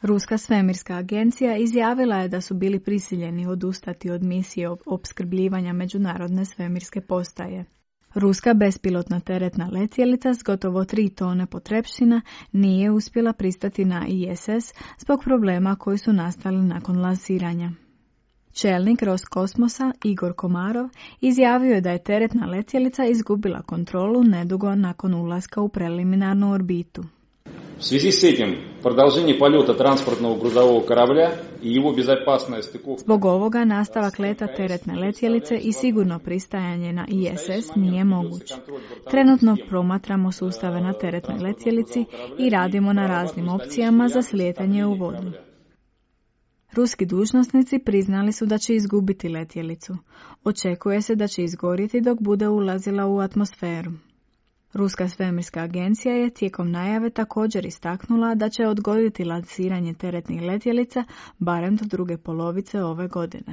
Ruska svemirska agencija izjavila je da su bili prisiljeni odustati od misije opskrbljivanja Međunarodne svemirske postaje. Ruska bespilotna teretna letjelica s gotovo 3 tone potrepština nije uspjela pristati na ISS zbog problema koji su nastali nakon lansiranja. Čelnik Roskosmosa Igor Komarov izjavio je da je teretna letjelica izgubila kontrolu nedugo nakon ulaska u preliminarnu orbitu. В связи с этим продолжение полета транспортного грузового корабля и его безопасная стыковка. Zbog ovoga nastavak leta teretne letjelice i sigurno pristajanje na ISS nije moguć. Trenutno promatramo sustave na teretnoj letjelici i radimo na raznim opcijama za slijetanje u vodu. Ruski dužnosnici priznali su da će izgubiti letjelicu. Očekuje se da će izgorjeti dok bude ulazila u atmosferu. Ruska svemirska agencija je tijekom najave također istaknula da će odgoditi lansiranje teretnih letjelica barem do druge polovice ove godine.